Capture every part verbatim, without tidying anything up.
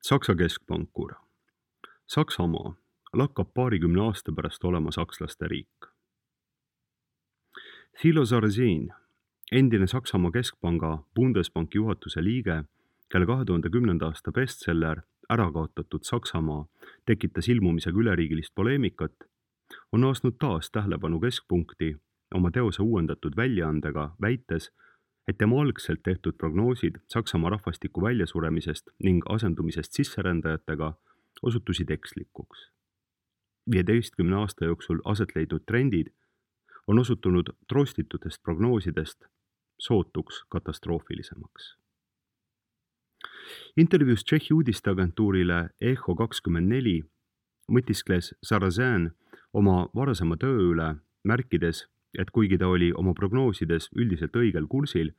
Saksa keskpankur. Saksamaa lakkab paarikümne aasta pärast olema sakslaste riik. Thilo Sarrazin, endine Saksamaa keskpanga Bundesbanki juhatuse liige, kelle kahe tuhande kümnenda aasta bestseller Ära kaotatud Saksamaa tekitas ilmumisega üleriigilist poleemikat, on naasnud taas tähelepanu keskpunkti oma teose uuendatud väljaandega, väites, et tema algselt tehtud prognoosid Saksamaa rahvastiku väljasuremisest ning asendumisest sisserändajatega osutusid ekslikuks. viieteistkümne aasta jooksul aset leidnud trendid on osutunud trostitutest prognoosidest sootuks katastroofilisemaks. Intervjuus Tšehhi uudisteagentuurile Echo kakskümmend neli mõtiskles Sarrazin oma varasema töö üle, märkides, et kuigi ta oli oma prognoosides üldiselt õigel kursil,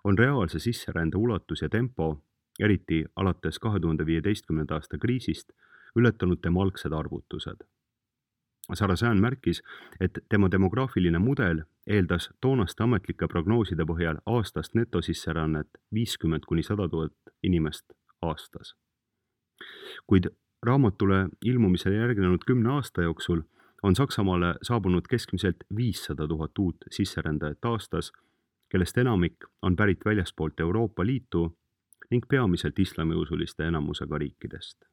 on reaalse sisserände ulatus ja tempo, eriti alates kahe tuhande viieteistkümnenda aasta kriisist, ületanud tema algsed arvutused. Sarrazin märkis, et tema demograafiline mudel eeldas toonaste ametlike prognooside põhjal aastast netosisserännet viiskümmend kuni sada tuhat inimest aastas. Kuid raamatule ilmumisele järgnenud kümne aasta jooksul on Saksamaale saabunud keskmiselt viissada tuhat uut sisserändajat aastas, kellest enamik on pärit väljaspoolt Euroopa Liitu ning peamiselt islamiusuliste enamusega riikidest.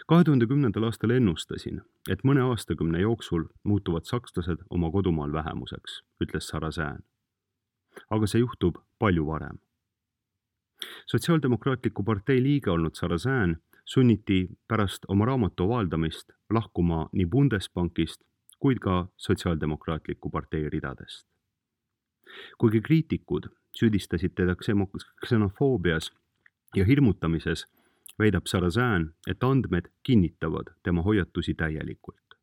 kahe tuhande kümnendal aastal ennustasin, et mõne aastakümne jooksul muutuvad sakslased oma kodumaal vähemuseks, ütles Sarrazin. Aga see juhtub palju varem. Sotsiaaldemokraatliku partei liige olnud Sarrazin sunniti pärast oma raamatu avaldamist lahkuma nii Bundesbankist kuid ka Sotsiaaldemokraatliku partei ridadest. Kuigi kriitikud süüdistasid teda ksenofoobias ja hirmutamises, väidab Sarrazin, et andmed kinnitavad tema hoiatusi täielikult.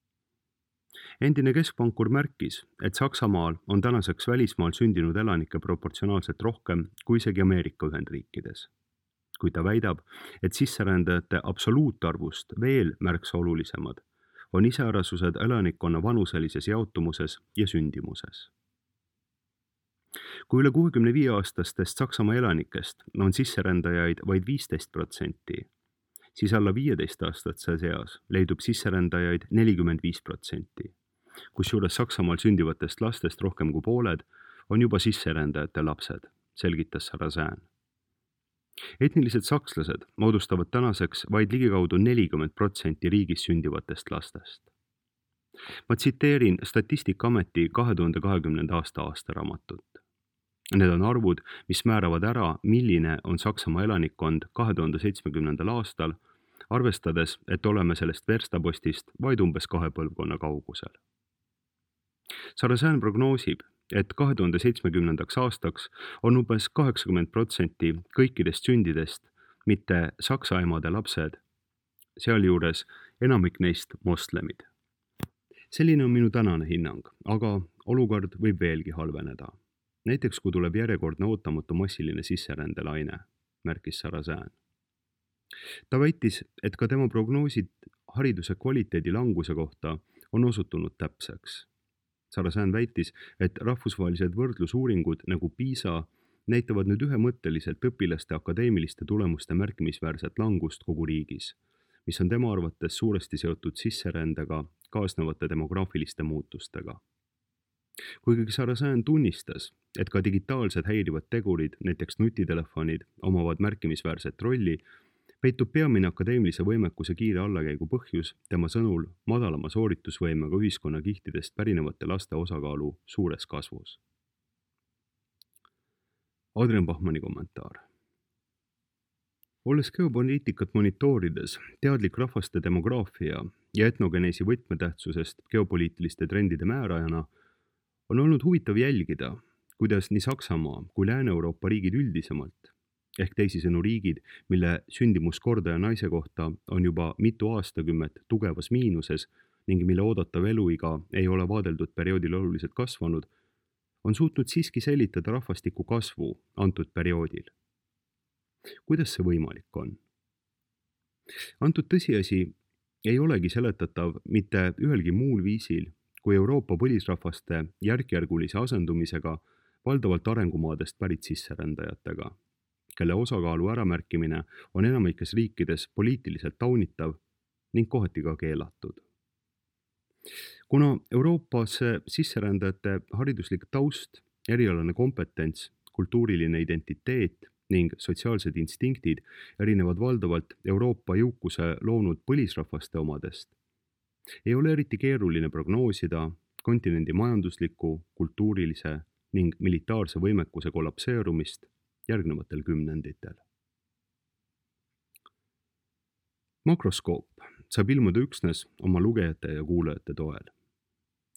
Endine keskpankur märkis, et Saksamaal on tänaseks välismaal sündinud elanike proportsionaalselt rohkem kui isegi Ameerika Ühendriikides. Kui ta väidab, et sisserändajate absoluutarvust veel märksa olulisemad on iseärasused elanikkonna vanuselises jaotumuses ja sündimuses. Kui üle kuuekümne viie aastastest Saksamaa elanikest on sisserändajaid vaid viisteist protsenti, siis alla viieteist aastatse seas leidub sisserändajaid nelikümmend viis protsenti, kusjuures Saksamaal sündivatest lastest rohkem kui pooled on juba sisserändajate lapsed, selgitas Sarrazin. Etnilised sakslased moodustavad tänaseks vaid ligikaudu nelikümmend protsenti riigis sündivatest lastest. Ma tsiteerin Statistikaameti kahe tuhande kahekümnenda aasta aastaraamatut. Need on arvud, mis määravad ära, milline on Saksamaa elanikkond kahe tuhande seitsmekümnendal aastal, arvestades, et oleme sellest verstapostist vaid umbes kahe põlvkonna kaugusel. Sarrazin prognoosib, et kahe tuhande seitsmekümnendaks aastaks on umbes kaheksakümmend protsenti kõikidest sündidest mitte saksa emade lapsed, sealjuures enamik neist moslemid. Selline on minu tänane hinnang, aga olukord võib veelgi halveneda. Näiteks kui tuleb järjekordne ootamatu massiline sisserändelaine, märkis Sarrazin. Ta väitis, et ka tema prognoosid hariduse kvaliteedi languse kohta on osutunud täpseks. Sarrazin väitis, et rahvusvahelised võrdlusuuringud nagu PISA näitavad nüüd ühemõtteliselt õpilaste akadeemiliste tulemuste märkimisväärset langust kogu riigis, mis on tema arvates suuresti seotud sisserändega kaasnevate demograafiliste muutustega. Kuigi Sarrazin tunnistas, et ka digitaalsed häirivad tegurid, näiteks nutitelefonid, omavad märkimisväärset rolli, peitub peamine akadeemilise võimekuse kiire allakäigu põhjus tema sõnul madalama sooritusvõimega ühiskonnakihtidest pärinevate laste osakaalu suures kasvus. Adrian Bachmanni kommentaar. Olles geopoliitikat monitoorides teadlik rahvaste demograafia ja etnogeneesi võtmetähtsusest geopoliitiliste trendide määrajana, on olnud huvitav jälgida, kuidas nii Saksamaa kui Lääne-Euroopa riigid üldisemalt, ehk teisisõnu riigid, mille sündimuskordaja naise kohta on juba mitu aastakümmet tugevas miinuses ning mille oodatav eluiga ei ole vaadeldud perioodil oluliselt kasvanud, on suutnud siiski säilitada rahvastiku kasvu antud perioodil. Kuidas see võimalik on? Antud tõsiasi ei olegi seletatav mitte ühelgi muul viisil, kui Euroopa põlisrahvaste järkjärgulise asendumisega valdavalt arengumaadest pärit sisserändajatega, kelle osakaalu äramärkimine on enamikes riikides poliitiliselt taunitav ning kohati ka keelatud. Kuna Euroopasse sisserändajate hariduslik taust, erialane kompetents, kultuuriline identiteet ning sotsiaalsed instinktid erinevad valdavalt Euroopa jõukuse loonud põlisrahvaste omadest, ei ole eriti keeruline prognoosida kontinendi majandusliku, kultuurilise ning militaarse võimekuse kollapseerumist järgnevatel kümnenditel. Makroskoop saab ilmuda üksnes oma lugejate ja kuulajate toel.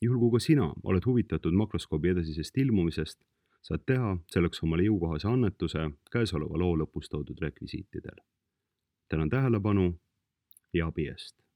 Juhul kui ka sina oled huvitatud makroskoobi edasisest ilmumisest, saad teha selleks omale jõukohase annetuse käesoleva loo lõpus toodud rekvisiitidel. Tänan tähelepanu ja abi eest!